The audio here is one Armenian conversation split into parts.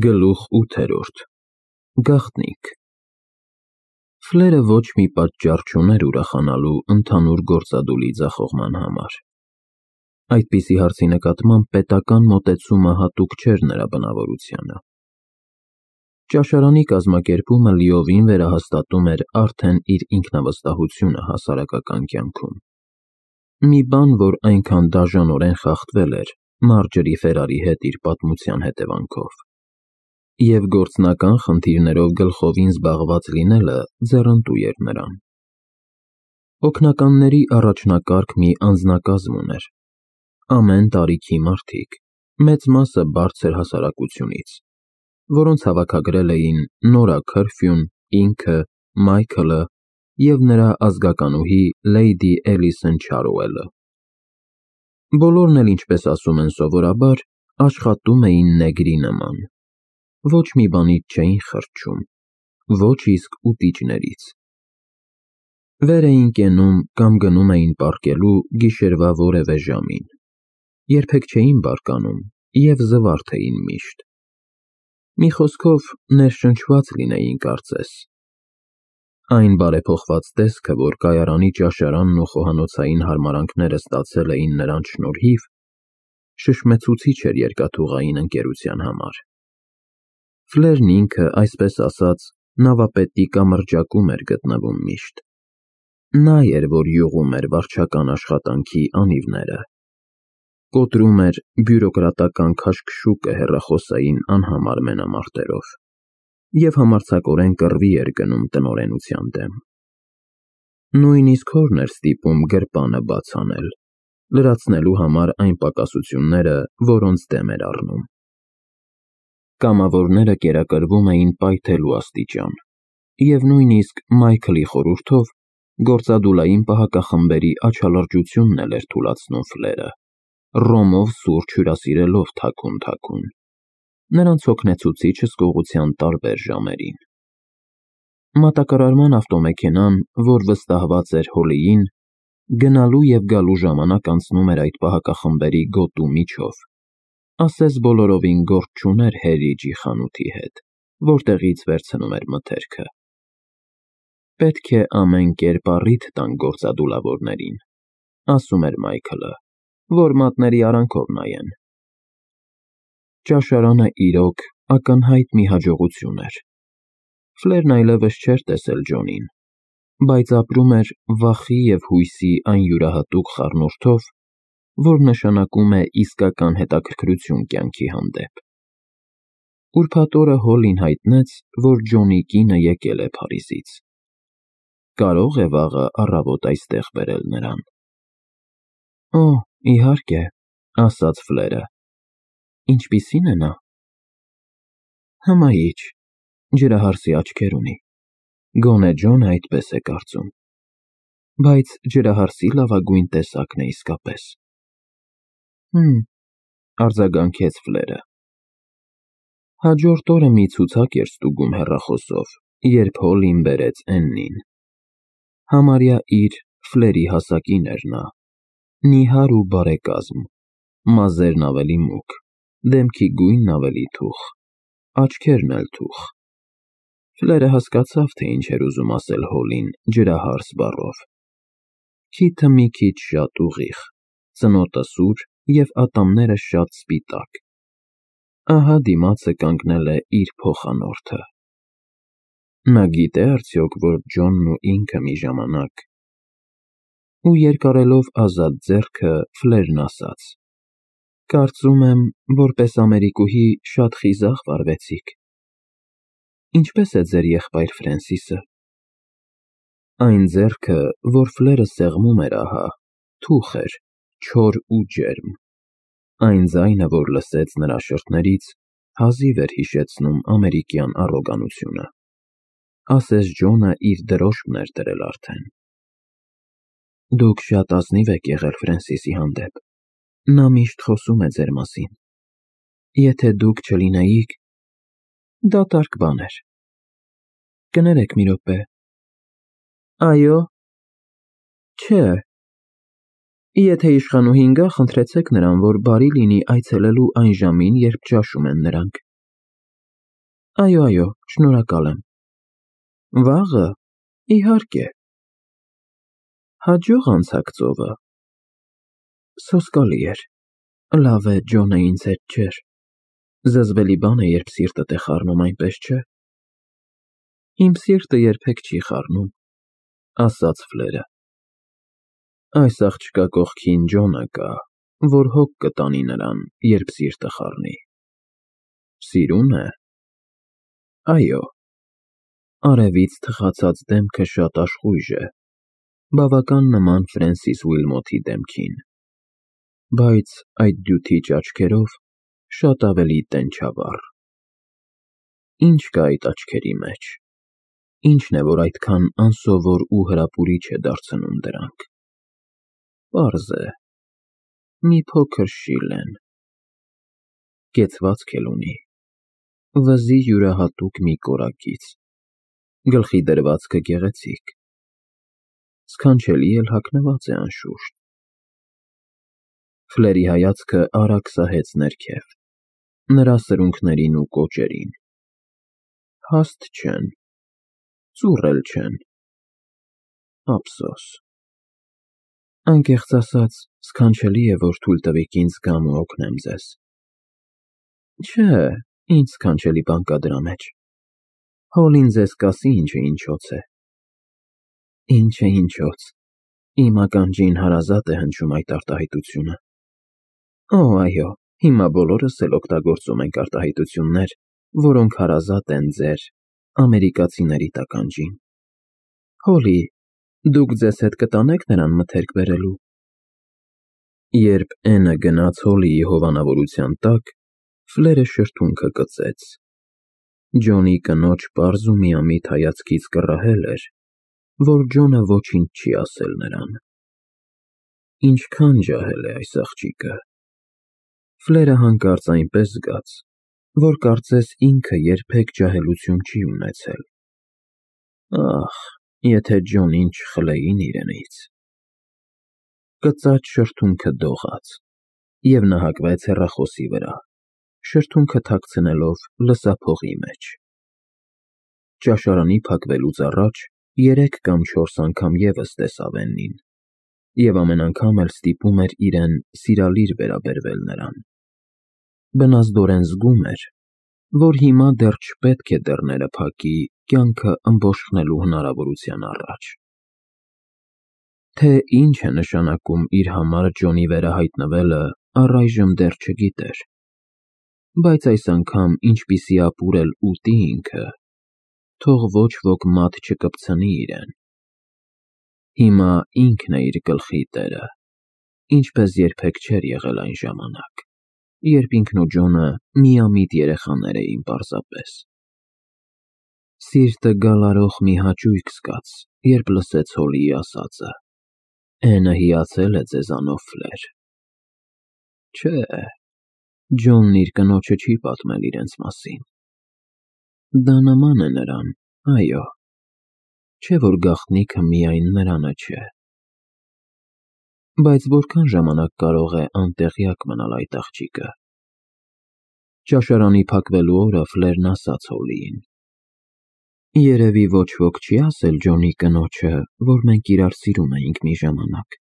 Գլուխ 8. Գաղտնիք Ֆլերը ոչ մի պատճառ չուներ ուրախանալու ընդհանուր գործադուլի ձախողման համար։ Այդպիսի հարցի նկատմամբ պետական մոտեցումը հատուկ չէր նրա բնավորությանը։ Ճաշարանի կազմակերպումը լիովին վերահաստատում էր արդեն իր ինքնավստահությունը հասարակական կյանքում։ Մի բան, որ այնքան դաժանորեն խախտվել էր Մարջերի Ֆերարի հետ իր պատմության հետևանքով։ Եվ գործնական խնդիրներով գլխովին զբաղված լինելը ձեռնտու էր նրան։ Օգնականների առաջնակարգ մի անձնակազմ ուներ։ Ամեն տարիքի մարդիկ, մեծ մասը բարձր հասարակությունից, որոնց հավաքագրել էին Նորա Քըրֆյուն, ինքը, Մայքլը և նրա ազգականուհի Լեյդի Էլիսոն Չարոուելը։ Բոլորն էլ, ինչպես ասում են սովորաբար, աշխատում էին նեգրի նման։ Ոչ մի բանից չէին խրճում, ոչ իսկ ուտիճներից։ Վեր էին կենում կամ գնում էին պառկելու գիշերվա որևէ ժամին, երբեք չէին բարկանում և զվարթ էին միշտ։ Մի խոսքով, ներշնչված լինեին կարծես։ Այն բարեփոխված տեսքը, որ կայարանի ճաշարանն ու խոհանոցային հարմարանքները ստացել էին նրանց շնորհիվ, շշմեցուցիչ էր երկաթուղային ընկերության համար։ Ֆլերն ինքը, այսպես ասած, նավապետի կամրջակում էր գտնվում միշտ։ Նա էր, որ յուղում էր վարչական աշխատանքի անիվները, կոտրում էր բյուրոկրատական քաշքշուկը հեռախոսային անհամար մենամարտերով և համարձակորեն կռվի էր գնում տնօրենության դեմ։ Նույնիսկ հորն էր ստիպում գրպանը բաց անել, լրացնելու համար այն պակասությունները, որոնց դեմ էր առնում։ Կամավորները կերակրվում էին պայթելու աստիճան, և նույնիսկ Մայքլի խորհուրդով գործադուլային պահակախմբերի աչալրջությունն էլ էր թուլացնում Ֆլերը, ռոմով սուրճ հյուրասիրելով թաքուն, նրանց հոգնեցուցիչ հսկողության տարբեր ժամերին։ Մատակարարման ավտոմեքենան, որ վստահված էր Հոլիին, գնալու և գալու ժամանակ անցնում էր այդ պահակախմբերի գոտու միջով, ասես բոլորովին գործ չուներ Հերիջի խանութի հետ, որտեղից վերցնում էր մթերքը։ Պետք է ամեն կերպ առիթ տանք գործադուլավորներին, ասում էր Մայքլը, որ մատների արանքով նայեն։ Ճաշարանը իրոք ակնհայտ մի հաջողություն էր։ Ֆլերն այլևս չէր տեսել Ջոնին, բայց ապրում էր վախի և հույսի այն յուրահատուկ խառնուրդով, որ նշանակում է իսկական հետաքրքրություն կյանքի հանդեպ։ Ուրբաթ օրը Հոլին հայտնեց, որ Ջոնի կինը եկել է Փարիզից։ Կարո՞ղ է վաղը առավոտ այստեղ բերել նրան։ Օ, իհարկե, ասաց Ֆլերը։ Ինչպիսի՞ն է նա։ Հմայիչ, ջրահարսի աչքեր ունի։ Գոնե Ջոնը այդպես է կարծում։ Բայց ջրահարսի լավագույն տեսակն է իսկապես։ Արձագանքեց Ֆլերը։ Հաջորդ օրը մի ցուցակ էր ստուգում հեռախոսով, երբ Հոլին բերեց Էննին։ Համարյա իր Ֆլերի հասակին էր նա, նիհար ու բարեկազմ, մազերն ավելի մուգ, դեմքի գույնն ավելի թուխ, աչքերն էլ թուխ։ Ֆլերը հասկացավ, թե ինչ էր ուզում ասել Հոլին ջրահարս բառով։ Քիթը մի քիչ շատ ուղիղ, ծնոտը սուր և ատամները շատ սպիտակ։ Ահա դիմացը կանգնել է իր փոխանորդը։ Նա գիտե՞ արդյոք, որ Ջոնն ու ինքը մի ժամանակ… Ու երկարելով ազատ ձեռքը, Ֆլերն ասաց. Կարծում եմ, որպես ամերիկուհի շատ խիզախ վարվեցիք։ Ինչպե՞ս է ձեր եղբայր Ֆրենսիսը։ Այն ձեռքը, որ Ֆլերը սեղմում էր ահա, թուխ էր, չոր ու ջերմ։ Այն ձայնը, որ լսեց նրա շրթներից, հազիվ էր հիշեցնում ամերիկյան առոգանությունը։ Ասես Ջոնը իր դրոշմն էր դրել արդեն։ Դուք շատ ազնիվ եք եղել Ֆրենսիսի հանդեպ։ Նա միշտ խոսում է ձեր մասին։ Եթե դուք չլինեիք… Դատարկ բան էր։ Կներեք մի րոպե։ Այո։ Չէ։ Եթե իշխանուհին գա, խնդրեցեք նրան, որ բարի լինի այցելելու այն ժամին, երբ ճաշում են նրանք։ Այո, շնորհակալ եմ։ Վաղը, իհարկե։ Հաջող անցաք ծովը։ Սոսկալի էր։ Լավ է Ջոնը ինձ հետ չէր։ Զզվելի բան է, երբ սիրտդ է խառնում, այնպես չէ։ Իմ սիրտը երբեք չի խառնում, ասաց Ֆլերը։ Այս աղջկա կողքին Ջոնը կա, որ հոգ կտանի նրան, երբ սիրտը խառնի։ Սիրուն է։ Այո։ Արևից թխացած դեմքը շատ աշխույժ է, բավական նման Ֆրենսիս Ուիլմոթի դեմքին, բայց այդ դյութիչ աչքերով շատ ավելի տենչավառ։ Ինչ կա այդ աչքերի մեջ։ Ինչն է, որ այդքան անսովոր ու հրապուրիչ է դարձնում դրանք։ Պարզ է։ Մի փոքր շիլ են։ Կեցվածք էլ ունի։ Վզի յուրահատուկ մի կորակից։ Գլխի դրվածքը գեղեցիկ։ Սքանչելի էլ հագնված է անշուշտ։ Ֆլերի հայացքը արագ սահեց ներքև, նրա սրունքներին ու կոճերին։ Հաստ չեն, ծուռ էլ չեն։ Ափսոս։ Անկեղծ ասած, սքանչելի է, որ թույլ տվեք ինձ գամ ու օգնեմ ձեզ։ Չէ, ինչ սքանչելի բան կա դրա մեջ։ Հոլին ձեզ կասի ինչը ինչոց է։ Ինչը ինչոց։ Իմ ականջին հարազատ է հնչում այդ արտահայտությունը։ Օ, այո, հիմա բոլորս էլ օգտագործում ենք արտահայտություններ, որոնք հարազատ են ձեր ամերիկացիների տականջին։ Հոլի, դուք ձեզ հետ կտանեք նրան մթերք բերելու։ Երբ Էնը գնաց Հոլիի հովանավորության տակ, Ֆլերը շրթունքը կծեց։ Ջոնի կնոջ պարզ ու միամիտ հայացքից կռահել էր, որ Ջոնը ոչինչ չի ասել նրան։ Ինչքան ջահել է այս աղջիկը։ Ֆլերը հանկարծ այնպես զգաց, որ կարծես ինքը երբեք ջահելություն չի ունեցել։ Ախ, եթե Ջոնին չխլեին իրենից։ Կծած շրթունքը դողաց, և նահակվեց հեռախոսի վրա, շրթունքը թաքցնելով լսափողի մեջ։ Ճաշարանի փակվելուց առաջ 3 կամ 4 անգամ ևս տեսավ Էննին, և ամեն անգամ էլ ստիպում էր իրեն սիրալիր վերաբերվել նրան։ Բնազդորեն զգում էր, որ հիմա դեռ չպետք է դռները փակի կյանքը ըմբոշխնելու հնարավորության առաջ։ Թե ինչ է նշանակում իր համար Ջոնի վերահայտնվելը, առայժմ դեռ չգիտեր, բայց այս անգամ ինչպիսի ապուր էլ ուտի ինքը, թող ոչ ոք մատ չկպցնի իրեն։ Հիմա ինքն է իր գլխի տերը, ինչպես երբեք չէր եղել այն ժամանակ, երբ ինքն ու Ջոնը միամիտ երեխաներ էին պարզապես։ Սիրտը գալարող մի հաճույք զգաց, երբ լսեց Հոլիի ասածը. Էնը հիացել է ձեզանով, Ֆլեր։ Չէ, Ջոնն իր կնոջը չի պատմել իրենց մասին։ Դա նման է նրան, այո, չէ որ գաղտնիքը միայն նրանը չէ։ Բայց որքան ժամանակ կարող է անտեղյակ մնալ այդ աղջիկը։ Ճաշարանի փակվելու օրը Ֆլերն ասաց Հոլիին. Երևի ոչ ոք չի ասել Ջոնի կնոջը, որ մենք իրար սիրում էինք մի ժամանակ։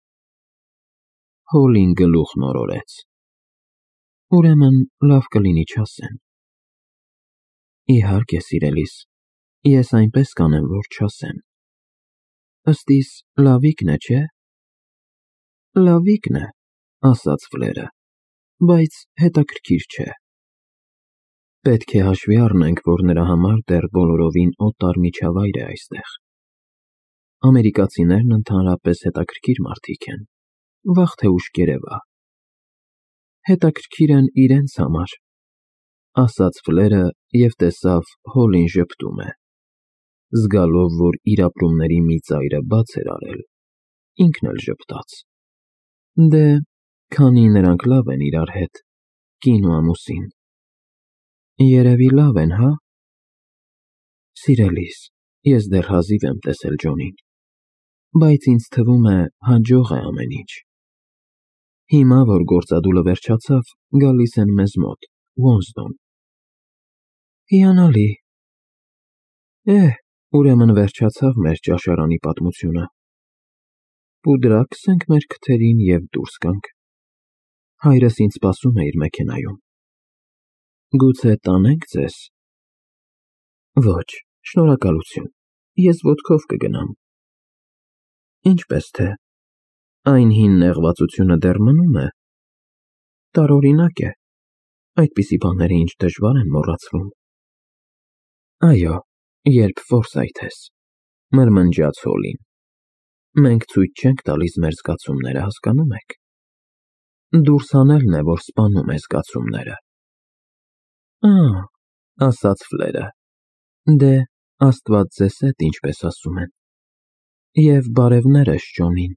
Հոլին գլուխն օրորեց։ Ուրեմն լավ կլինի չասեն։ Իհարկե, սիրելիս, ես այնպես կանեմ, որ չասեն։ Ըստ իս լավիկն է, չէ։ Լավիկն է, ասաց Ֆլերը, բայց հետաքրքիր չէ։ Պետք է հաշվի առնենք, որ նրա համար դեռ բոլորովին օտար միջավայր է այստեղ։ Ամերիկացիներն ընդհանրապես հետաքրքիր մարդիկ են, վաղ թե ուշ կերևա։ Հետաքրքիր են իրենց համար, ասաց Ֆլերը և տեսավ Հոլին ժպտում է։ Զգալով, որ իր ապրումների մի ծայրը բաց էր արել, ինքն էլ ժպտաց։ Դե, քանի նրանք լավ են իրար հետ, կին ու ամուսին։ Երևի լավ են, հա։ Սիրելիս, ես դեռ հազիվ եմ տեսել Ջոնին, բայց ինձ թվում է հաջող է ամեն ինչ։ Հիմա, որ գործադուլը վերջացավ, գալիս են մեզ մոտ, Ուոնսդոն։ Հիանալի, Ուրեմն վերջացավ մեր ճաշարանի պատմությունը։ Պուդրակ ենք մեր քթերին և դուրս գանք։ Հայրս ինձ սպասում է իր մեքենայում։ Գուցե տանե՞նք ձեզ։ Ոչ, շնորհակալություն, ես ոտքով կգնամ։ Ինչպես թե, այն հին նեղվածությունը դեռ մնում է։ Տարօրինակ է, այդպիսի բաները ինչ դժվար են մոռացվում։ Այո, երբ Ֆորսայթ ես, մրմնջաց Հոլին։ Մենք ցույց չենք տալիս մեր զգացումները, հասկանում եք։ Դուրս հանելն է, որ սպանում է զգացումները։ Ասաց Ֆլերը, դե, Աստված ձեզ հետ, ինչպես ասում են։ Եվ բարևներս Ջոնին։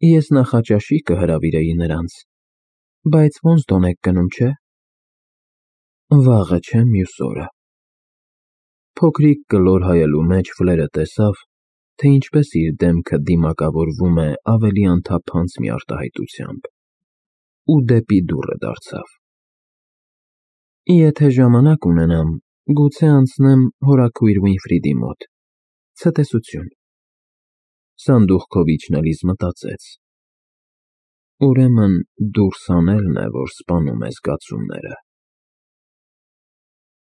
Ես նախաճաշի կհրավիրեի նրանց, բայց ոնց դոն եք գնում, չէ։ Վաղը չէ, մյուս օրը։ Փոքրիկ կլոր հայելու մեջ Ֆլերը տեսավ, թե ինչպես իր դեմքը դիմակավորվում է ավելի անթափանց մի արտահայտությամբ, ու դեպի դուռը դարձավ։ Եթե ժամանակ ունենամ, գուցե անցնեմ հորաքույր Վինֆրիդի մոտ, ցտեսություն։ Սանդուղքով իջնելիս մտածեց. Ուրեմն դուրս հանելն է, որ սպանում է զգացումները։